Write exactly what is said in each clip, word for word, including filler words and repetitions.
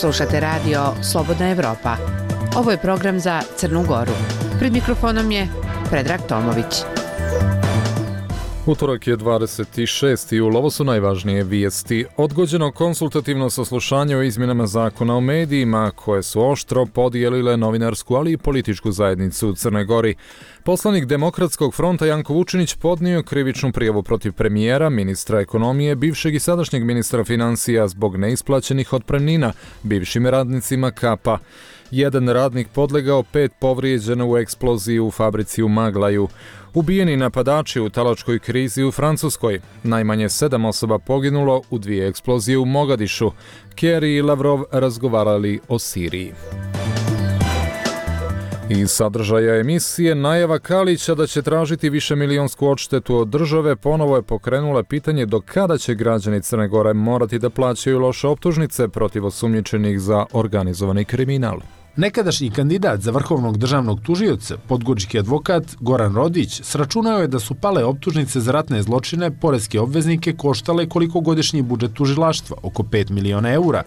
Slušate radio Slobodna Evropa. Ovo je program za Crnu Goru. Pred mikrofonom je Predrag Tomović. Utorak je dvadeset šesti jul, ovo su najvažnije vijesti. Odgođeno konsultativno saslušanje o izmjenama zakona o medijima, koje su oštro podijelile novinarsku, ali i političku zajednicu u Crnoj Gori. Poslanik Demokratskog fronta Janko Vučinić podnio krivičnu prijavu protiv premijera, ministra ekonomije, bivšeg i sadašnjeg ministra financija zbog neisplaćenih otpremnina bivšim radnicima Kapa. Jedan radnik podlegao, pet povrijeđeno u eksploziji u fabrici u Maglaju. Ubijeni napadači u talačkoj krizi u Francuskoj. Najmanje sedam osoba poginulo u dvije eksplozije u Mogadišu. Kerry i Lavrov razgovarali o Siriji. Iz sadržaja emisije, najava Kalića da će tražiti višemilijonsku odštetu od države ponovo je pokrenula pitanje do kada će građani Crne Gore morati da plaćaju loše optužnice protiv osumnjičenih za organizovani kriminal. Nekadašnji kandidat za vrhovnog državnog tužioca, podgorički advokat Goran Rodić, sračunao je da su pale optužnice za ratne zločine poreske obveznike koštale koliko godišnji budžet tužilaštva, oko pet miliona eura.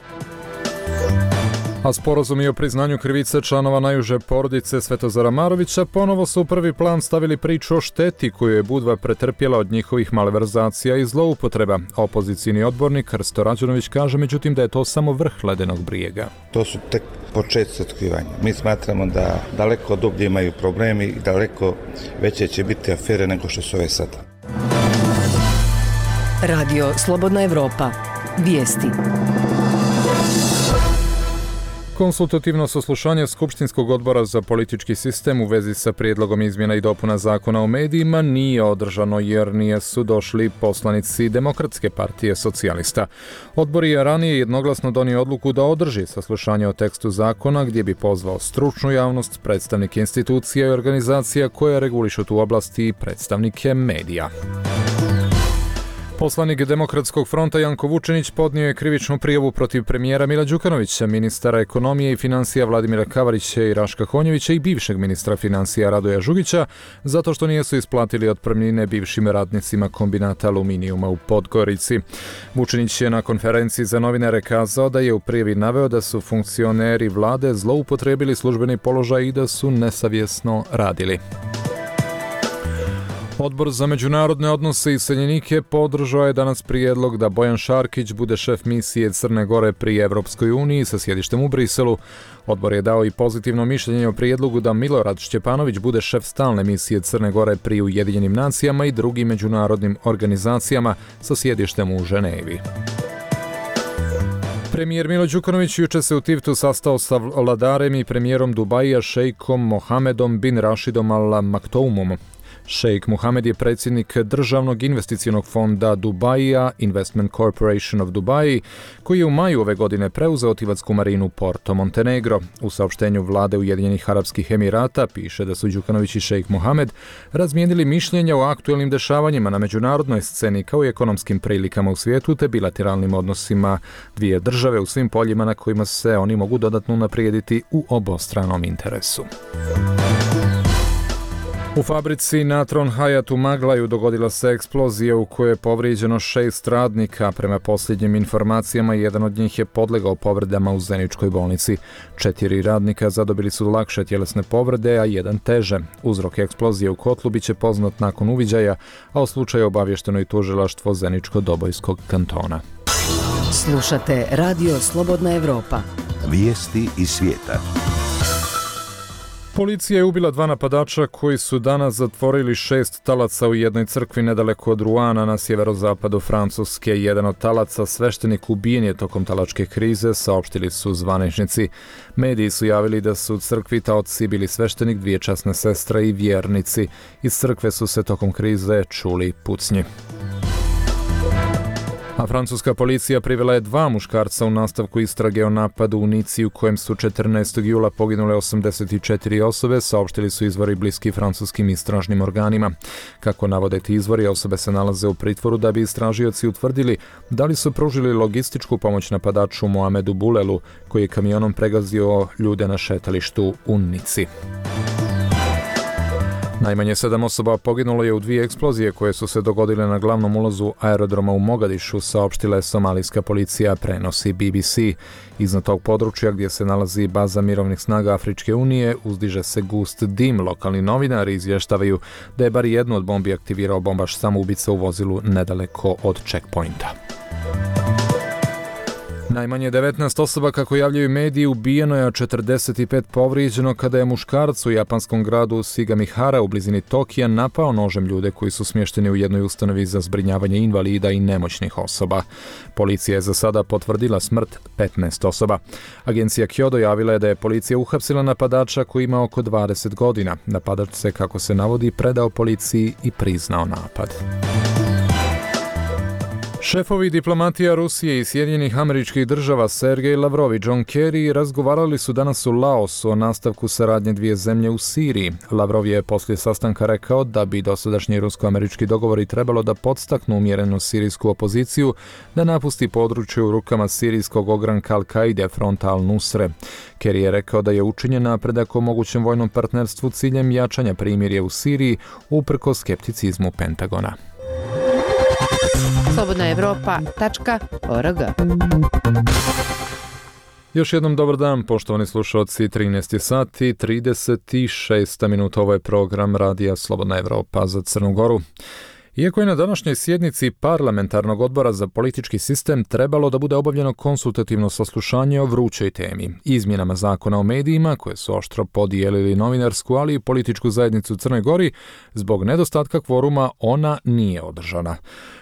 A sporazumi o priznanju krivice članova najuže porodice Svetozara Marovića ponovo su u prvi plan stavili priču o šteti koju je Budva pretrpjela od njihovih malverzacija i zloupotreba. Opozicijni odbornik Krsto Rađunović kaže međutim da je to samo vrh ledenog brijega. To su tek početci otkrivanja. Mi smatramo da daleko dublje imaju problemi i daleko veće će biti afere nego što su ove sada. Radio Slobodna Evropa. Vijesti. Konsultativno saslušanje Skupštinskog odbora za politički sistem u vezi sa prijedlogom izmjena i dopuna zakona o medijima nije održano jer nisu došli poslanici Demokratske partije socijalista. Odbor je ranije jednoglasno donio odluku da održi saslušanje o tekstu zakona gdje bi pozvao stručnu javnost, predstavnike institucija i organizacija koje regulišu tu oblast i predstavnike medija. Poslanik Demokratskog fronta Janko Vučinić podnio je krivičnu prijavu protiv premijera Mila Đukanovića, ministara ekonomije i financija Vladimira Kavarića i Raška Konjevića i bivšeg ministra financija Radoja Žugića zato što nisu isplatili otpremnine bivšim radnicima kombinata aluminijuma u Podgorici. Vučinić je na konferenciji za novinare kazao da je u prijavi naveo da su funkcioneri vlade zloupotrijebili službeni položaj i da su nesavjesno radili. Odbor za međunarodne odnose i iseljenike podržao je danas prijedlog da Bojan Šarkić bude šef misije Crne Gore pri Evropskoj uniji sa sjedištem u Briselu. Odbor je dao i pozitivno mišljenje o prijedlogu da Milorad Šćepanović bude šef stalne misije Crne Gore pri Ujedinjenim nacijama i drugim međunarodnim organizacijama sa sjedištem u Ženevi. Premijer Milo Đukanović juče se u Tivtu sastao sa vladarem i premijerom Dubaija šejkom Mohamedom bin Rašidom Al Maktoumom. Šejk Mohamed je predsjednik državnog investicionog fonda Dubaija, Investment Corporation of Dubai, koji je u maju ove godine preuzeo tivatsku marinu Porto Montenegro. U saopštenju vlade Ujedinjenih Arapskih Emirata piše da su Đukanović i šejk Mohamed razmijenili mišljenja o aktuelnim dešavanjima na međunarodnoj sceni kao i ekonomskim prilikama u svijetu te bilateralnim odnosima dvije države u svim poljima na kojima se oni mogu dodatno unaprijediti u obostranom interesu. U fabrici Natron Hayat u Maglaju dogodila se eksplozija u kojoj je povrijeđeno šest radnika. Prema posljednjim informacijama, jedan od njih je podlegao povredama u Zeničkoj bolnici. Četiri radnika zadobili su lakše tjelesne povrede, a jedan teže. Uzrok eksplozije u kotlu biće poznat nakon uviđaja, a o slučaju obavješteno i tužilaštvo Zeničko-Dobojskog kantona. Slušate Radio Slobodna Evropa. Vijesti iz svijeta. Policija je ubila dva napadača koji su danas zatvorili šest talaca u jednoj crkvi nedaleko od Ruana na sjeverozapadu Francuske. Jedan od talaca, sveštenik, ubijen je tokom talačke krize, saopštili su zvaničnici. Mediji su javili da su u crkvi taoci bili sveštenik, dvije časne sestre i vjernici. Iz crkve su se tokom krize čuli pucnji. A francuska policija privela je dva muškarca u nastavku istrage o napadu u Nici u kojem su četrnaestog jula poginule osamdeset četiri osobe, saopštili su izvori bliski francuskim istražnim organima. Kako navode ti izvori, osobe se nalaze u pritvoru da bi istražioci utvrdili da li su pružili logističku pomoć napadaču Mohamedu Boulelu, koji je kamionom pregazio ljude na šetalištu u Nici. Najmanje sedam osoba poginulo je u dvije eksplozije koje su se dogodile na glavnom ulazu aerodroma u Mogadišu, saopštila je somalijska policija, prenosi B B C. Iznad tog područja gdje se nalazi baza mirovnih snaga Afričke unije uzdiže se gust dim. Lokalni novinari izvještavaju da je bar jednu od bombi aktivirao bombaš samoubica u vozilu nedaleko od checkpointa. Najmanje devetnaest osoba, kako javljaju mediji, ubijeno je, a četrdeset pet povrijeđeno kada je muškarac u japanskom gradu Sagamihara u blizini Tokija napao nožem ljude koji su smješteni u jednoj ustanovi za zbrinjavanje invalida i nemoćnih osoba. Policija je za sada potvrdila smrt petnaest osoba. Agencija Kyodo javila je da je policija uhapsila napadača koji ima oko dvadeset godina. Napadač se, kako se navodi, predao policiji i priznao napad. Šefovi diplomatija Rusije i Sjedinjenih Američkih Država Sergej Lavrov i John Kerry razgovarali su danas u Laosu o nastavku saradnje dvije zemlje u Siriji. Lavrov je poslije sastanka rekao da bi dosadašnji rusko-američki dogovori trebalo da podstaknu umjerenu sirijsku opoziciju da napusti područje u rukama sirijskog ogranka Al-Kaide, fronta Al-Nusre. Kerry je rekao da je učinjen napredak o mogućem vojnom partnerstvu ciljem jačanja primirja u Siriji uprkos skepticizmu Pentagona. slobodna evropa tačka org. Još jednom dobar dan, poštovani slušalci, trinaest sati trideset šest minuta, ovo je program Radija Slobodna Evropa za Crnu Goru. Iako je na današnjoj sjednici Parlamentarnog odbora za politički sistem trebalo da bude obavljeno konsultativno saslušanje o vrućoj temi, izmjenama zakona o medijima koje su oštro podijelili novinarsku, ali i političku zajednicu u Crnoj Gori, zbog nedostatka kvoruma ona nije održana.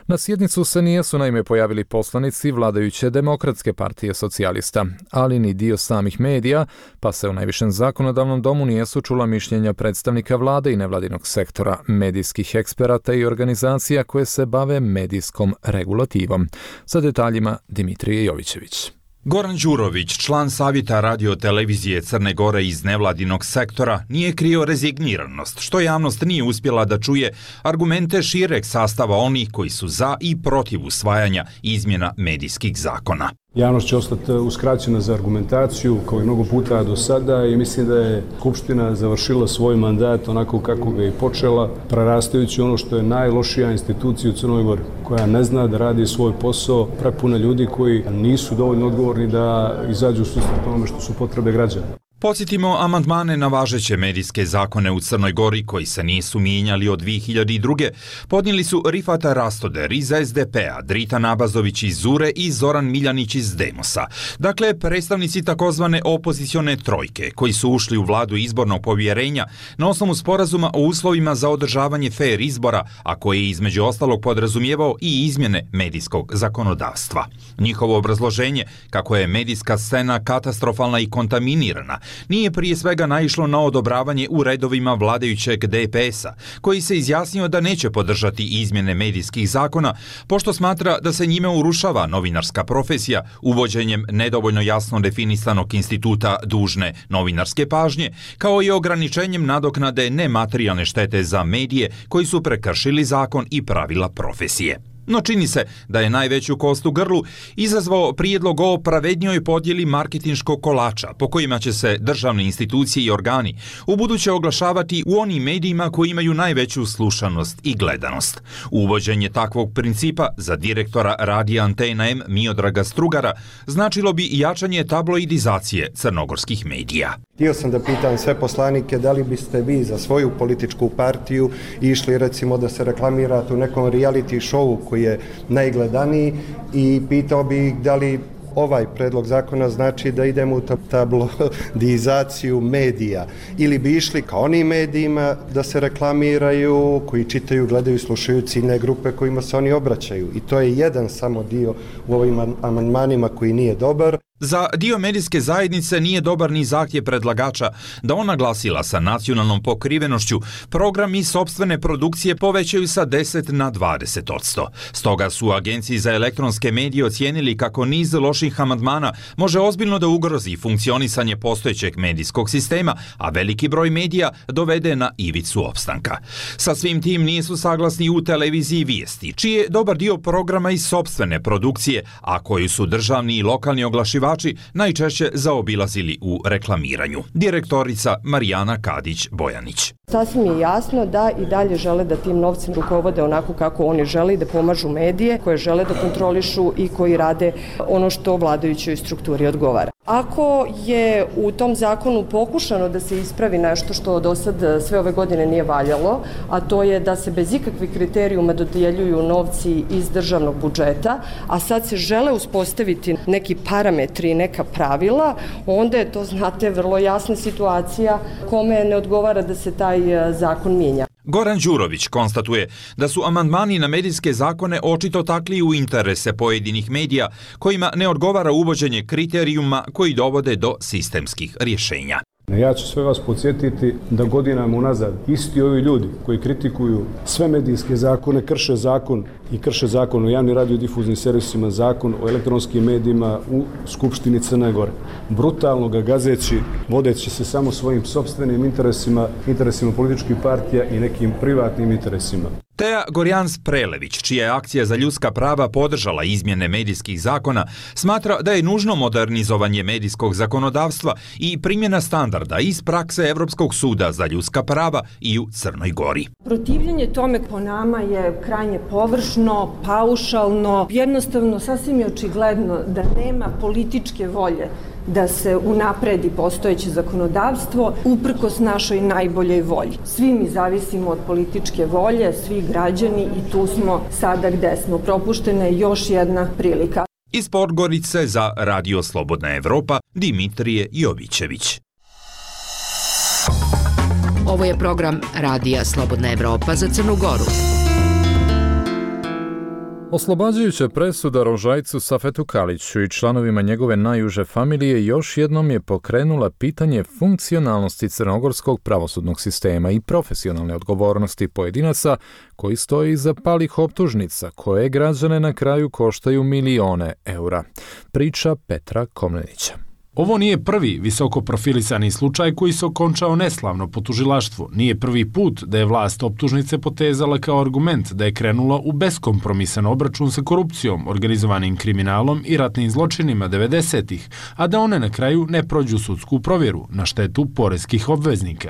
Na sjednicu se nijesu naime pojavili poslanici vladajuće Demokratske partije socijalista, ali ni dio samih medija, pa se u najvišem zakonodavnom domu nijesu čula mišljenja predstavnika vlade i nevladinog sektora, medijskih eksperata i organizacija koje se bave medijskom regulativom. Sa detaljima Dimitrije Jovićević. Goran Đurović, član savjeta radio-televizije Crne Gore iz nevladinog sektora, nije krio rezigniranost, što javnost nije uspjela da čuje argumente šireg sastava onih koji su za i protiv usvajanja izmjena medijskih zakona. Javnost će ostati uskraćena za argumentaciju kao i mnogo puta do sada i mislim da je Skupština završila svoj mandat onako kako ga je počela, prerastajući ono što je najlošija institucija u Crnoj Gori, koja ne zna da radi svoj posao, prepuna ljudi koji nisu dovoljno odgovorni da izađu u susret onome što su potrebe građana. Podsjetimo amandmane na važeće medijske zakone u Crnoj Gori koji se nisu mijenjali od dvije hiljade druge. Podnijeli su Rifata Rastoder iz S D P-a, Drita Nabazović iz Zure i Zoran Miljanić iz Demosa. Dakle, predstavnici takozvane opozicione trojke koji su ušli u vladu izbornog povjerenja na osnovu sporazuma o uslovima za održavanje fer izbora, a koji je između ostalog podrazumijevao i izmjene medijskog zakonodavstva. Njihovo obrazloženje, kako je medijska scena katastrofalna i kontaminirana, nije prije svega naišlo na odobravanje u redovima vladajućeg D P S-a, koji se izjasnio da neće podržati izmjene medijskih zakona, pošto smatra da se njime urušava novinarska profesija uvođenjem nedovoljno jasno definisanog instituta dužne novinarske pažnje, kao i ograničenjem nadoknade nematerijalne štete za medije koji su prekršili zakon i pravila profesije. No čini se da je najveću kost u grlu izazvao prijedlog o pravednjoj podjeli marketinškog kolača po kojima će se državne institucije i organi ubuduće oglašavati u onim medijima koji imaju najveću slušanost i gledanost. Uvođenje takvog principa za direktora radija Antena M Miodraga Strugara značilo bi jačanje tabloidizacije crnogorskih medija. Htio sam da pitam sve poslanike da li biste vi za svoju političku partiju išli recimo da se reklamirate u nekom reality showu koji je najgledaniji i pitao bih da li ovaj predlog zakona znači da idemo u tabloidizaciju medija ili bi išli ka onim medijima da se reklamiraju, koji čitaju, gledaju, slušaju ciljne grupe kojima se oni obraćaju. I to je jedan samo dio u ovim amandmanima koji nije dobar. Za dio medijske zajednice nije dobar ni zahtjev predlagača da ona glasila sa nacionalnom pokrivenošću program i sopstvene produkcije povećaju sa deset na dvadeset odsto. Stoga su u Agenciji za elektronske medije ocijenili kako niz loših amandmana može ozbiljno da ugrozi funkcionisanje postojećeg medijskog sistema, a veliki broj medija dovede na ivicu opstanka. Sa svim tim nisu saglasni u televiziji Vijesti, čiji je dobar dio programa iz sopstvene produkcije, a koju su državne regionalni i lokalni oglašivači najčešće zaobilazili u reklamiranju. Direktorica Marijana Kadić-Bojanić. Sasvim je jasno da i dalje žele da tim novcem rukovode onako kako oni žele i da pomažu medije koje žele da kontrolišu i koji rade ono što vladajućoj strukturi odgovara. Ako je u tom zakonu pokušano da se ispravi nešto što do sad sve ove godine nije valjalo, a to je da se bez ikakvih kriterijuma dodjeljuju novci iz državnog budžeta, a sad se žele uspostaviti neki parametri, neka pravila, onda je to, znate, vrlo jasna situacija kome ne odgovara da se taj zakon mijenja. Goran Đurović konstatuje da su amandmani na medijske zakone očito takli u interese pojedinih medija kojima ne odgovara uvođenje kriterijuma koji dovode do sistemskih rješenja. Ja ću sve vas podsjetiti da godinama unazad isti ovi ljudi koji kritikuju sve medijske zakone, krše zakon i krše zakon o javnim radiodifuznim servisima, zakon o elektronskim medijima u Skupštini Crne Gore. Brutalno ga gazeći, vodeći se samo svojim sopstvenim interesima, interesima političkih partija i nekim privatnim interesima. Teja Gorjans-Prelević, čija je akcija za ljudska prava podržala izmjene medijskih zakona, smatra da je nužno modernizovanje medijskog zakonodavstva i primjena standarda iz prakse Evropskog suda za ljudska prava i u Crnoj Gori. Protivljenje tome po nama je krajnje površno, paušalno, jednostavno sasvim je očigledno da nema političke volje da se unapredi postojeće zakonodavstvo uprkos našoj najboljoj volji. Svi mi zavisimo od političke volje, svi građani i tu smo sada gde smo. Propuštena je još jedna prilika. Iz Podgorice za Radio Slobodna Evropa, Dimitrije Jovićević. Ovo je program Radija Slobodna Evropa za Crnu Goru. Oslobađajuća presuda Rožajcu Safetu Kaliću i članovima njegove najuže familije još jednom je pokrenula pitanje funkcionalnosti crnogorskog pravosudnog sistema i profesionalne odgovornosti pojedinaca koji stoji iza palih optužnica koje građane na kraju koštaju milione eura. Priča Petra Komnenića. Ovo nije prvi visoko profilisani slučaj koji se okončao neslavno po tužilaštvu. Nije prvi put da je vlast optužnice potezala kao argument da je krenula u beskompromisan obračun sa korupcijom, organizovanim kriminalom i ratnim zločinima devedesetih, a da one na kraju ne prođu sudsku provjeru na štetu poreskih obveznika.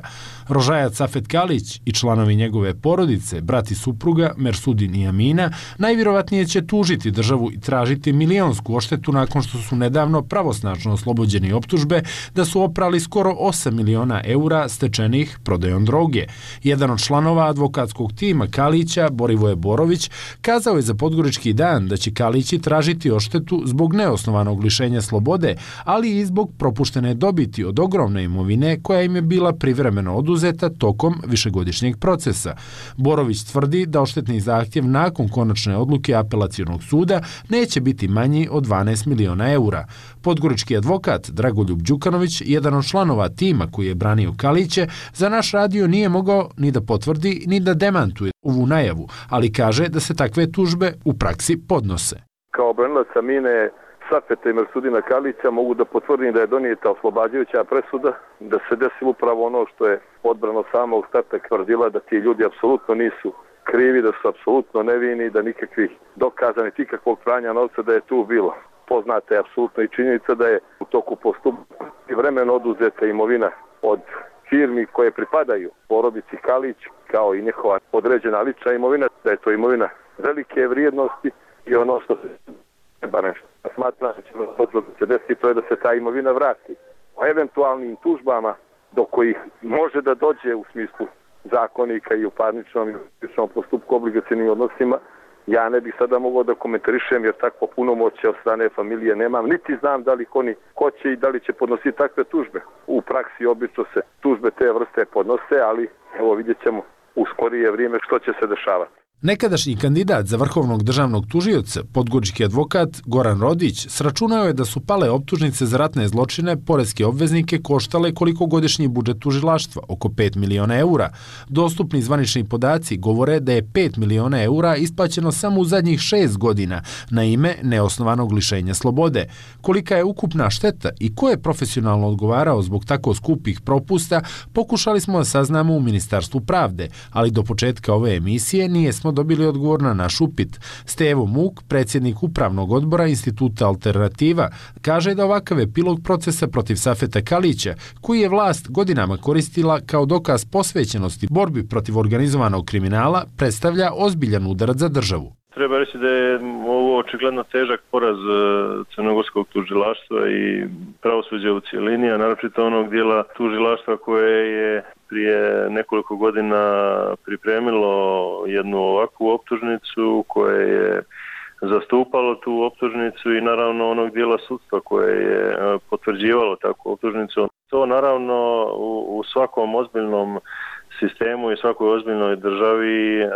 Rožajac Safet Kalić i članovi njegove porodice, brat i supruga Mersudin i Amina, najvjerovatnije će tužiti državu i tražiti milionsku odštetu nakon što su nedavno pravosnažno oslobođeni optužbe da su oprali skoro osam miliona eura stečenih prodajom droge. Jedan od članova advokatskog tima Kalića, Borivoje Borović, kazao je za Podgorički dan da će Kalići tražiti odštetu zbog neosnovanog lišenja slobode, ali i zbog propuštene dobiti od ogromne imovine koja im je bila privremeno oduzeta tokom višegodišnjeg procesa. Borović tvrdi da odštetni zahtjev nakon konačne odluke apelacionog suda neće biti manji od dvanaest miliona eura. Podgorički advokat Dragoljub Đukanović, jedan od članova tima koji je branio Kaliće, za naš radio nije mogao ni da potvrdi ni da demantuje ovu najavu, ali kaže da se takve tužbe u praksi podnose. Kao branilac Amine, Safeta i Mersudina Kalića mogu da potvrdim da je donijeta oslobađajuća presuda, da se desilo upravo ono što je odbrano samog starta tvrdila, da ti ljudi apsolutno nisu krivi, da su apsolutno nevini, da nikakvih dokaza niti ikakvog pranja novca da je tu bilo. Poznata je apsolutno i činjenica da je u toku postupka i vremeno oduzeta imovina od firmi koje pripadaju porodici Kalić, kao i njihova određena lična imovina, da je to imovina velike vrijednosti i ono što se treba nešto. Smatram da će se desiti to je da se ta imovina vrati. O eventualnim tužbama do kojih može da dođe u smislu zakonika i u parničnom i u postupku obligacijnim odnosima, ja ne bih sada mogao da komentarišem jer takvo punomoćje od strane familije nemam, niti znam da li oni hoće i da li će podnositi takve tužbe. U praksi obično se tužbe te vrste podnose, ali evo vidjet ćemo u skorije vrijeme što će se dešavati. Nekadašnji kandidat za vrhovnog državnog tužioca, podgorički advokat Goran Rodić, sračunao je da su pale optužnice za ratne zločine poreske obveznike koštale koliko godišnji budžet tužilaštva, oko pet miliona eura. Dostupni zvanični podaci govore da je pet miliona eura isplaćeno samo u zadnjih šest godina na ime neosnovanog lišenja slobode. Kolika je ukupna šteta i ko je profesionalno odgovarao zbog tako skupih propusta, pokušali smo da saznamo u Ministarstvu pravde, ali do početka ove emisije nije smo nismo dobili odgovor na naš upit. Stevo Muk, predsjednik upravnog odbora Instituta Alternativa, kaže da ovakav epilog procesa protiv Safeta Kalića, koji je vlast godinama koristila kao dokaz posvećenosti borbi protiv organizovanog kriminala, predstavlja ozbiljan udarac za državu. Treba reći da je ovo očigledno težak poraz crnogorskog tužilaštva i pravosuđa u cijelini, a naročito onog dijela tužilaštva koje je prije nekoliko godina pripremilo jednu ovakvu optužnicu, koje je zastupalo tu optužnicu i naravno onog dijela sudstva koje je potvrđivalo takvu optužnicu. To naravno u, u svakom ozbiljnom sistemu i svakoj ozbiljnoj državi e,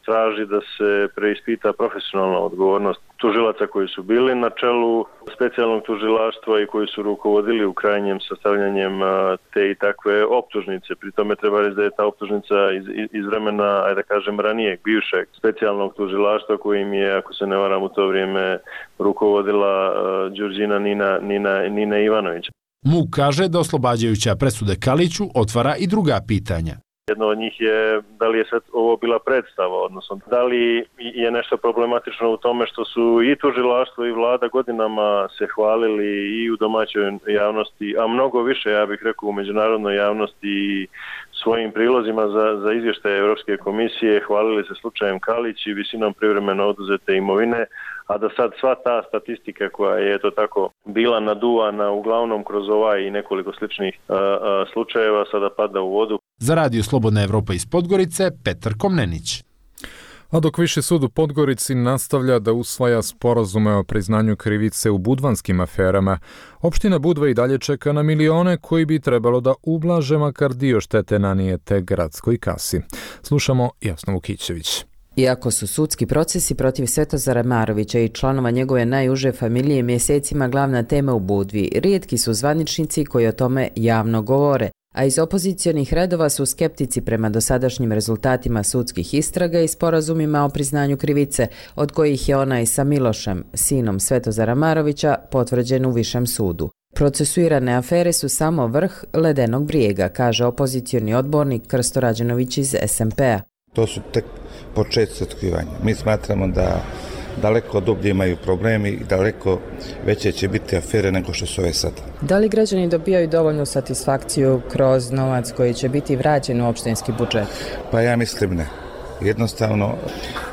traži da se preispita profesionalna odgovornost tužilaca koji su bili na čelu specijalnog tužilaštva i koji su rukovodili u krajnjem sastavljanjem a, te i takve optužnice. Pri tome treba reći da je ta optužnica iz, iz vremena, ajde da kažem, ranijeg, bivšeg specijalnog tužilaštva kojim je, ako se ne varam, u to vrijeme rukovodila a, Đurđina Nina, Nina, Nina Ivanović. Muk kaže da oslobađajuća presude Kaliću otvara i druga pitanja. Jedno od njih je da li je sve ovo bila predstava, odnosno da li je nešto problematično u tome što su i tužilaštvo i vlada godinama se hvalili i u domaćoj javnosti, a mnogo više, ja bih rekao, u međunarodnoj javnosti i svojim prilozima za, za izvještaje Europske komisije hvalili se slučajem Kalić i visinom privremeno oduzete imovine, a da sad sva ta statistika koja je to tako bila naduvana uglavnom kroz ovaj i nekoliko sličnih a, a, slučajeva sada pada u vodu. Za Radio Slobodna Evropa iz Podgorice, Petar Komnenić. A dok Viši sud u Podgorici nastavlja da usvaja sporazume o priznanju krivice u budvanskim aferama, opština Budva i dalje čeka na milione koji bi trebalo da ublaže makar dio štete nanijete gradskoj kasi. Slušamo Jasnu Vukićević. Iako su sudski procesi protiv Svetozara Marovića i članova njegove najuže familije mjesecima glavna tema u Budvi, rijetki su zvaničnici koji o tome javno govore, a iz opozicionih redova su skeptici prema dosadašnjim rezultatima sudskih istraga i sporazumima o priznanju krivice, od kojih je onaj sa Milošem, sinom Svetozara Marovića, potvrđen u Višem sudu. Procesuirane afere su samo vrh ledenog brijega, kaže opozicioni odbornik Krsto Rađenović iz es em pe a. To su tek početci otkrivanja. Mi smatramo da daleko dublje imaju problemi i daleko veće će biti afere nego što su ove sada. Da li građani dobijaju dovoljnu satisfakciju kroz novac koji će biti vraćen u opštinski budžet? Pa ja mislim ne. Jednostavno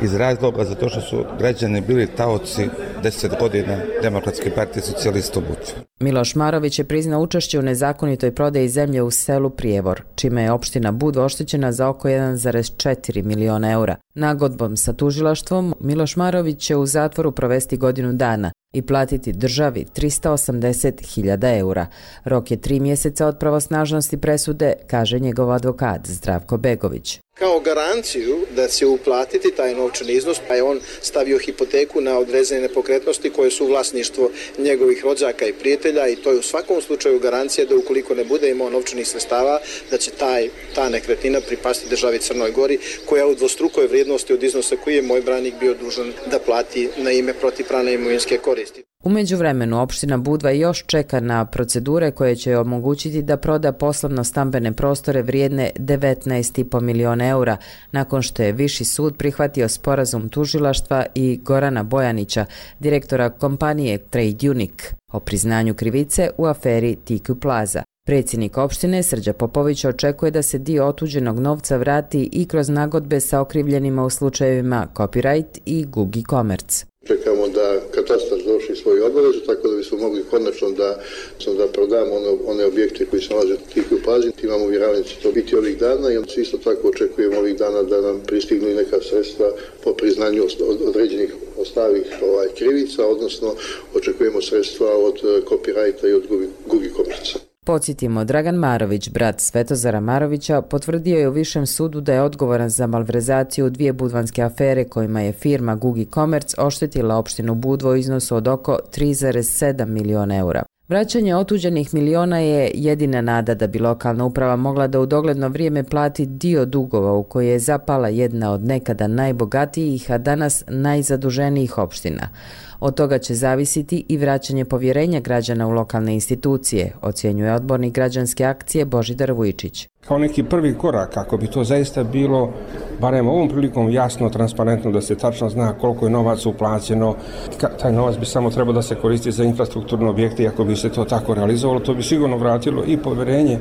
iz razloga zato što su građani bili taoci deset godina Demokratske partije socijalista u Budvi. Miloš Marović je priznao učešće u nezakonitoj prodaji zemlje u selu Prijevor, čime je opština Budva oštećena za oko jedan zarez četiri miliona eura. Nagodbom sa tužilaštvom Miloš Marović će u zatvoru provesti godinu dana i platiti državi trista osamdeset hiljada eura. Rok je tri mjeseca od pravosnažnosti presude, kaže njegov advokat Zdravko Begović. Kao garanciju da će uplatiti taj novčani iznos, pa je on stavio hipoteku na određene nepokretnosti koje su vlasništvo njegovih rođaka i prijatelja i to je u svakom slučaju garancija da ukoliko ne bude imao novčanih sredstava, da će taj, ta nekretnina pripasti državi Crnoj Gori, koja u dvostrukoj vrijednosti od iznosa koji je moj branik bio dužan da plati na ime protivpravne imovinske koristi. U međuvremenu opština Budva još čeka na procedure koje će omogućiti da proda poslovno stambene prostore vrijedne devetnaest i po miliona eura, nakon što je Viši sud prihvatio sporazum tužilaštva i Gorana Bojanića, direktora kompanije Trade Unique, o priznanju krivice u aferi T Q Plaza. Predsjednik opštine Srđa Popović očekuje da se dio otuđenog novca vrati i kroz nagodbe sa okrivljenima u slučajevima Copyright i Gugi Commerce. Čekamo da katastar završi svoju obavezu, tako da bismo mogli konačno da, da prodamo one, one objekte koji se nalaze u T Q Plazi. Imamo uvjeravanje da će to biti ovih dana i onda isto tako očekujemo ovih dana da nam pristignu i neka sredstva po priznanju određenih ostalih ovaj, krivica, odnosno očekujemo sredstva od Copyrighta i od Gugi Commerce. Podsjetimo, Dragan Marović, brat Svetozara Marovića, potvrdio je u Višem sudu da je odgovoran za malverzaciju dvije budvanske afere kojima je firma Gugi Commerce oštetila opštinu Budvo u iznosu od oko tri zarez sedam miliona eura. Vraćanje otuđenih miliona je jedina nada da bi lokalna uprava mogla da u dogledno vrijeme plati dio dugova u koje je zapala jedna od nekada najbogatijih, a danas najzaduženijih opština. Od toga će zavisiti i vraćanje povjerenja građana u lokalne institucije, ocjenjuje odbornik građanske akcije Božidar Vujčić. Kao neki prvi korak, kako bi to zaista bilo, barem ovom prilikom jasno, transparentno, da se tačno zna koliko je novac uplaćeno, taj novac bi samo trebao da se koristi za infrastrukturne objekte i ako bi se to tako realizovalo, to bi sigurno vratilo i poverenje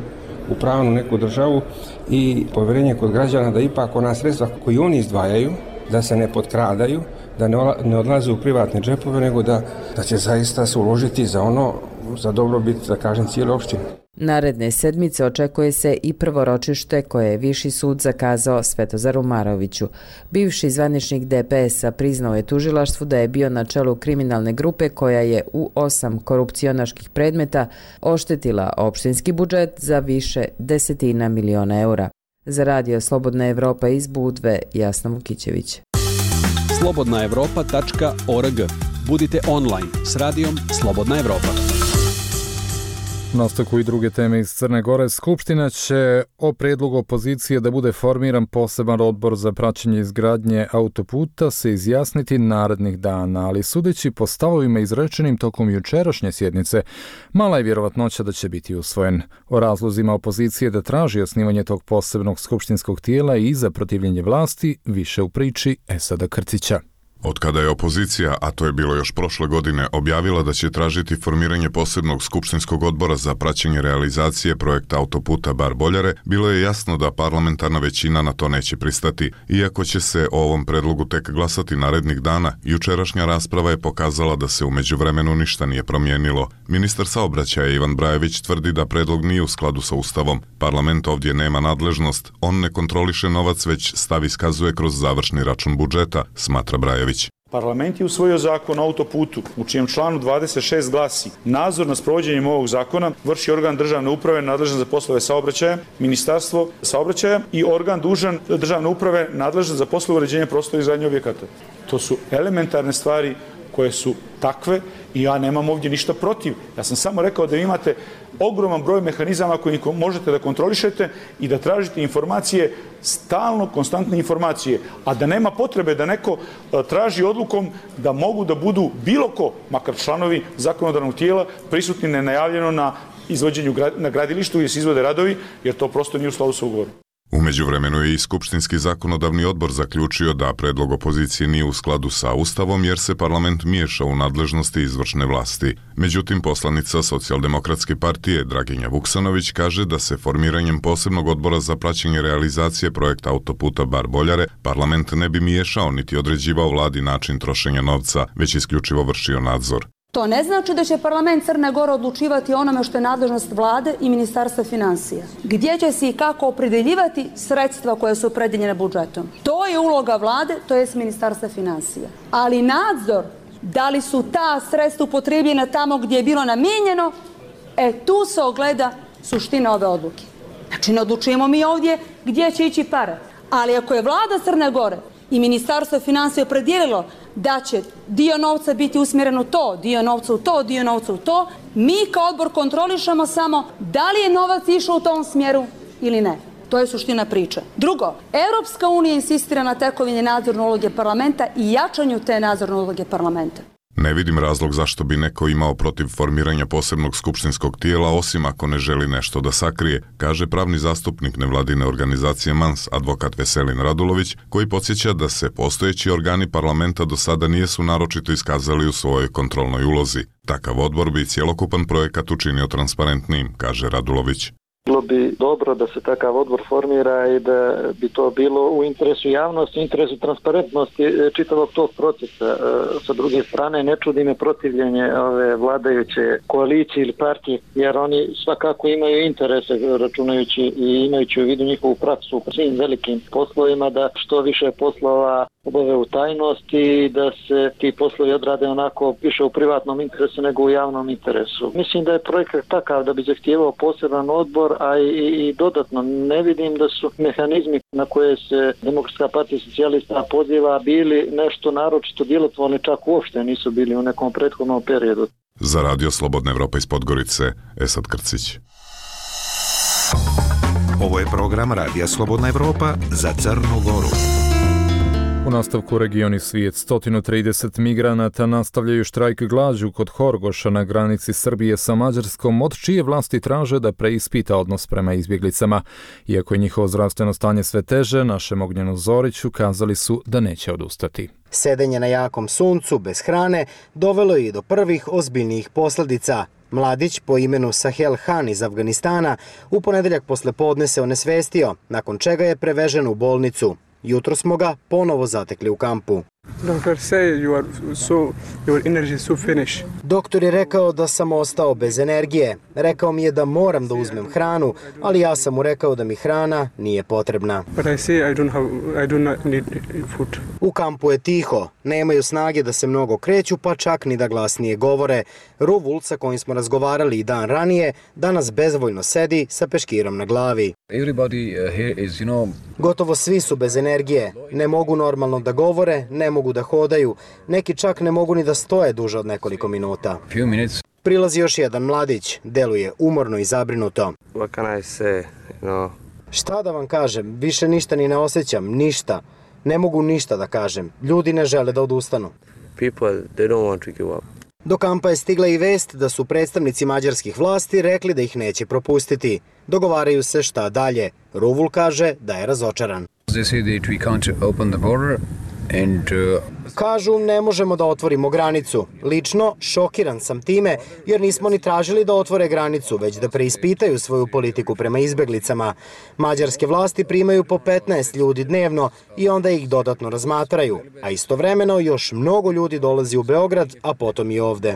u pravnu neku državu i poverenje kod građana da ipak ona sredstva koji oni izdvajaju, da se ne potkradaju, da ne odlaze u privatne džepove, nego da, da će zaista se uložiti za ono, za dobrobit, da kažem, cijele opštine. Naredne sedmice očekuje se i prvo ročište koje je Viši sud zakazao Svetozaru Maroviću. Bivši zvaničnik D P S-a priznao je tužilaštvu da je bio na čelu kriminalne grupe koja je u osam korupcionaških predmeta oštetila opštinski budžet za više desetina miliona eura. Za radio Slobodna Evropa iz Budve, Jasna Vukićević. slobodna evropa tačka org. Budite online s radijom Slobodna Evropa. Nastavku i druge teme iz Crne Gore. Skupština će o predlogu opozicije da bude formiran poseban odbor za praćenje izgradnje autoputa se izjasniti narednih dana, ali sudeći po stavovima izrečenim tokom jučerašnje sjednice, mala je vjerovatnoća da će biti usvojen. O razlozima opozicije da traži osnivanje tog posebnog skupštinskog tijela i za protivljenje vlasti više u priči Esada Krcića. Od kada je opozicija, a to je bilo još prošle godine, objavila da će tražiti formiranje posebnog skupštinskog odbora za praćenje realizacije projekta autoputa Bar-Boljare, bilo je jasno da parlamentarna većina na to neće pristati. Iako će se o ovom predlogu tek glasati narednih dana, jučerašnja rasprava je pokazala da se u međuvremenu ništa nije promijenilo. Ministar saobraćaja Ivan Brajević tvrdi da predlog nije u skladu sa Ustavom. Parlament ovdje nema nadležnost, on ne kontroliše novac, već stav iskazuje kroz završni račun budžeta, smatra Brajević. Parlament je usvojio zakon o autoputu, u čijem članu dvadeset šest glasi: nadzor nad sprovođenjem ovog zakona vrši organ državne uprave nadležan za poslove saobraćaja, Ministarstvo saobraćaja i organ dužan državne uprave nadležan za poslove uređenja prostora i izgradnje objekata. To su elementarne stvari koje su takve i ja nemam ovdje ništa protiv. Ja sam samo rekao da imate ogroman broj mehanizama koji možete da kontrolišete i da tražite informacije, stalno, konstantne informacije, a da nema potrebe da neko traži odlukom da mogu da budu bilo ko, makar članovi zakonodavnog tijela, prisutni nenajavljeno na izvođenju na gradilištu gdje se izvode radovi, jer to prosto nije u skladu sa ugovorom. U međuvremenu je i Skupštinski zakonodavni odbor zaključio da predlog opozicije nije u skladu sa Ustavom jer se parlament miješa u nadležnosti izvršne vlasti. Međutim, poslanica Socijaldemokratske partije Draginja Vuksanović kaže da se formiranjem posebnog odbora za praćenje realizacije projekta autoputa Bar-Boljare parlament ne bi miješao niti određivao vladi način trošenja novca, već isključivo vršio nadzor. To ne znači da će parlament Crne Gore odlučivati onome što je nadležnost vlade i Ministarstva financija. Gdje će se i kako opredeljivati sredstva koje su opredeljene budžetom. To je uloga vlade, to je Ministarstva financija. Ali nadzor, da li su ta sredstva upotrebljena tamo gdje je bilo namijenjeno, e tu se ogleda suština ove odluke. Znači ne odlučujemo mi ovdje gdje će ići pare. Ali ako je vlada Crne Gore i Ministarstvo financija opredijelilo da će dio novca biti usmjeren u to, dio novca u to, dio novca u to, mi kao odbor kontrolišemo samo da li je novac išao u tom smjeru ili ne. To je suština priče. Drugo, Europska unija insistira na tekovini nadzorne uloge parlamenta i jačanju te nadzorne uloge parlamenta. Ne vidim razlog zašto bi neko imao protiv formiranja posebnog skupštinskog tijela, osim ako ne želi nešto da sakrije, kaže pravni zastupnik nevladine organizacije Mans, advokat Veselin Radulović, koji podsjeća da se postojeći organi parlamenta do sada nijesu naročito iskazali u svojoj kontrolnoj ulozi. Takav odbor bi cjelokupan projekat učinio transparentnijim, kaže Radulović. Bilo bi dobro da se takav odbor formira i da bi to bilo u interesu javnosti, interesu transparentnosti čitavog tog procesa. Sa druge strane, ne čudi me protivljenje ove vladajuće koalicije ili partije, jer oni svakako imaju interese, računajući i imajući u vidu njihovu praksu u svim velikim poslovima, da što više poslova obave u tajnosti i da se ti poslovi odrade onako više u privatnom interesu nego u javnom interesu. Mislim da je projekat takav da bi zahtijevao poseban odbor, a i, i dodatno ne vidim da su mehanizmi na koje se Demokratska partija socijalista poziva bili nešto naročito djelotvorni, čak uopšte nisu bili u nekom prethodnom periodu. Za radio Slobodna Evropa iz Podgorice, Esad Krcić. Ovo je program Radija Slobodna Evropa za Crnu Goru. U nastavku regioni svijet, sto trideset migranata nastavljaju štrajk glađu kod Horgoša na granici Srbije sa Mađarskom, od čije vlasti traže da preispita odnos prema izbjeglicama. Iako je njihovo zdravstveno stanje sve teže, našem Ognjenu Zoriću kazali su da neće odustati. Sedenje na jakom suncu, bez hrane, dovelo je i do prvih ozbiljnijih posljedica. Mladić po imenu Sahel Han iz Afganistana u ponedeljak poslepodne se onesvestio, nakon čega je prevežen u bolnicu. Jutro smo ga ponovo zatekli u kampu. Doktor say you are so, your energy is so finished. Doktor je rekao da sam ostao bez energije. Rekao mi je da moram da uzmem hranu, ali ja sam mu rekao da mi hrana nije potrebna. But I say I don't have, I do not need food. U kampu je tiho, nemaju snage da se mnogo kreću, pa čak ni da glasnije govore. Ruvul, sa kojim smo razgovarali i dan ranije, danas bezvoljno sedi sa peškirom na glavi. Everybody here is, you know... Gotovo svi su bez energije, ne mogu normalno da govore, ne mogu da hodaju, neki čak ne mogu ni da stoje duže od nekoliko minuta. Few minutes. Prilazi još jedan mladić, deluje umorno i zabrinuto. What can I say, you know? Šta da vam kažem, više ništa ni ne osjećam, ništa. Ne mogu ništa da kažem, ljudi ne žele da odustanu. People, they don't want to give up. Do kampa je stigla i vest da su predstavnici mađarskih vlasti rekli da ih neće propustiti. Dogovaraju se šta dalje. Ruvul kaže da je razočaran. They say that we can't open the border and uh... Kažu ne možemo da otvorimo granicu. Lično šokiran sam time jer nismo ni tražili da otvore granicu, već da preispitaju svoju politiku prema izbjeglicama. Mađarske vlasti primaju po petnaest ljudi dnevno i onda ih dodatno razmatraju, a istovremeno još mnogo ljudi dolazi u Beograd, a potom i ovde.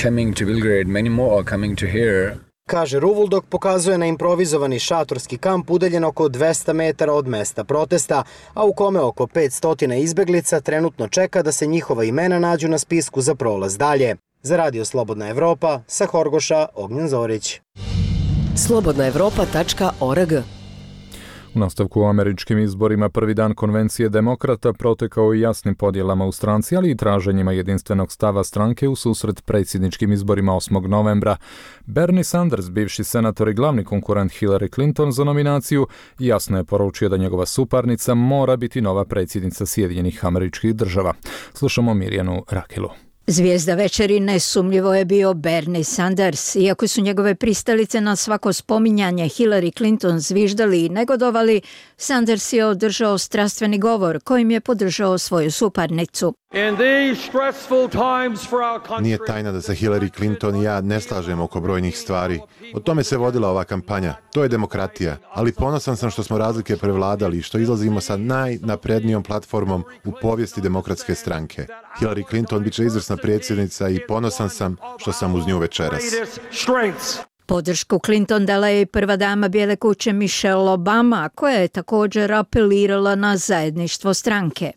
Coming to Belgrade, many more are coming to here. Kaže Ruvul dok pokazuje na improvizovani šatorski kamp udaljen oko dvesta metara od mesta protesta, a u kome oko petsto izbjeglica trenutno čeka da se njihova imena nađu na spisku za prolaz dalje. Za Radio Slobodna Evropa, sa Horgoša, Ognjen Zorić. slobodna evropa tačka org. U nastavku u američkim izborima prvi dan konvencije demokrata protekao i jasnim podjelama u stranci, ali i traženjima jedinstvenog stava stranke u susret predsjedničkim izborima osmog novembra. Bernie Sanders, bivši senator i glavni konkurent Hillary Clinton za nominaciju, jasno je poručio da njegova suparnica mora biti nova predsjednica Sjedinjenih Američkih Država. Slušamo Mirjanu Rakilu. Zvijezda večeri nesumnjivo je bio Bernie Sanders. Iako su njegove pristalice na svako spominjanje Hillary Clinton zviždali i negodovali, Sanders je održao strastveni govor kojim je podržao svoju suparnicu. Nije tajna da se Hillary Clinton i ja ne slažemo oko brojnih stvari. O tome se vodila ova kampanja. To je demokratija. Ali ponosan sam što smo razlike prevladali i što izlazimo sa najnaprednijom platformom u povijesti demokratske stranke. Hillary Clinton bit će izvrsna predsjednica i ponosan sam što sam uz nju večeras. Podršku Clinton dala je i prva dama Bijele kuće Michelle Obama, koja je također apelirala na zajedništvo stranke.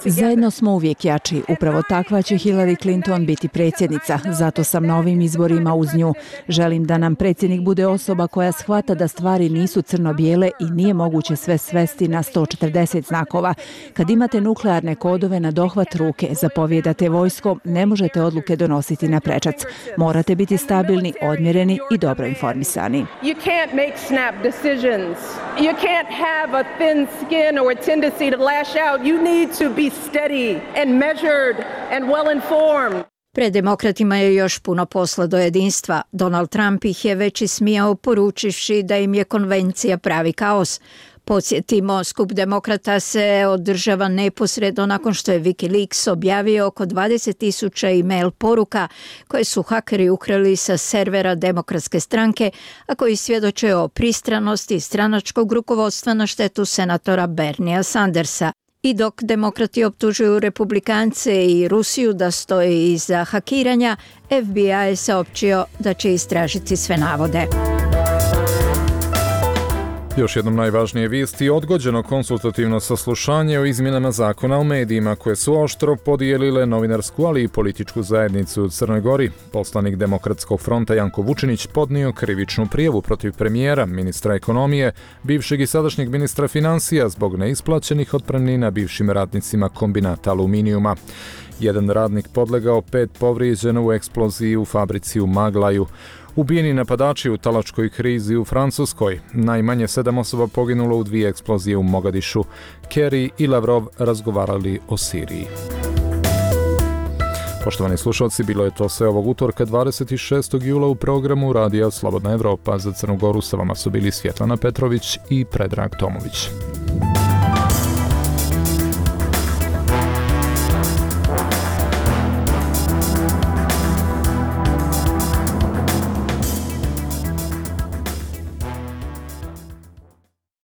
Zajedno smo uvijek jači. Upravo takva će Hillary Clinton biti predsjednica. Zato sam na ovim izborima uz nju. Želim da nam predsjednik bude osoba koja shvata da stvari nisu crno-bijele i nije moguće sve svesti na sto četrdeset znakova. Kad imate nuklearne kodove na dohvat ruke, zapovjedate vojskom, ne možete odluke donositi na prečac. Morate biti stabilni, odmjereni i dobro informisani. You can't make snap decisions. You can't have a thin skin or a tendency to lash out. You need to be steady and measured and well informed. Pred demokratima je još puno posla do jedinstva. Donald Trump ih je već ismijao poručivši da im je konvencija pravi kaos. Podsjetimo, skup demokrata se održava neposredno nakon što je Wikileaks objavio oko dvadeset tisuća e-mail poruka koje su hakeri ukrali sa servera Demokratske stranke, a koji svjedoče o pristranosti stranačkog rukovodstva na štetu senatora Berniea Sandersa. I dok demokrati optužuju republikance i Rusiju da stoje iza hakiranja, F B I je saopćio da će istražiti sve navode. Još jednom najvažnije vijesti, odgođeno konsultativno saslušanje o izmjenama zakona o medijima koje su oštro podijelile novinarsku, ali i političku zajednicu u Crnoj Gori. Poslanik Demokratskog fronta Janko Vučinić podnio krivičnu prijavu protiv premijera, ministra ekonomije, bivšeg i sadašnjeg ministra financija zbog neisplaćenih otpremnina bivšim radnicima kombinata aluminijuma. Jedan radnik podlegao, pet povrijeđeno u eksploziji u fabrici u Maglaju. Ubijeni napadači u talačkoj krizi u Francuskoj. Najmanje sedam osoba poginulo u dvije eksplozije u Mogadišu. Kerry i Lavrov razgovarali o Siriji. Poštovani slušalci, bilo je to sve ovog utorka dvadeset šestog jula u programu Radija Slobodna Evropa. Za Crnu Goru sa vama su bili Svjetlana Petrović i Predrag Tomović.